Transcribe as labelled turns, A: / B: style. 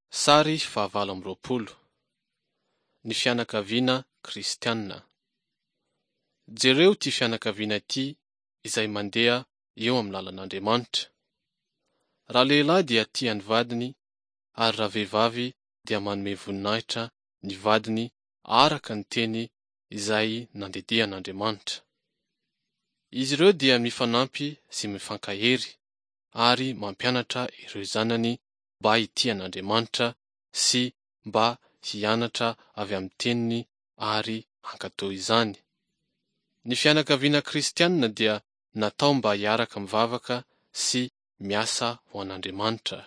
A: Sary fahavalo amby 20. Ny fianakaviana kristiana. Jereo ity fianakaviana ity izay mandeha eo amin'ny lalan'Andriamanitra. Ralehilahy dia tia ny vadiny ary ravehivavy dia manome voninahitra ny vadiny araka ny teny izay nandidian'Andriamanitra. Izy ireo dia mifanampy sy mifankahery ary mampianatra ireo zanany mba hitia an'Andriamanitra sy mba hianatra avy amin'ny teniny ary hankatò izany. Ny fianakaviana kristianina dia natao mba hiaraka mivavaka sy miasa ho an'Andriamanitra.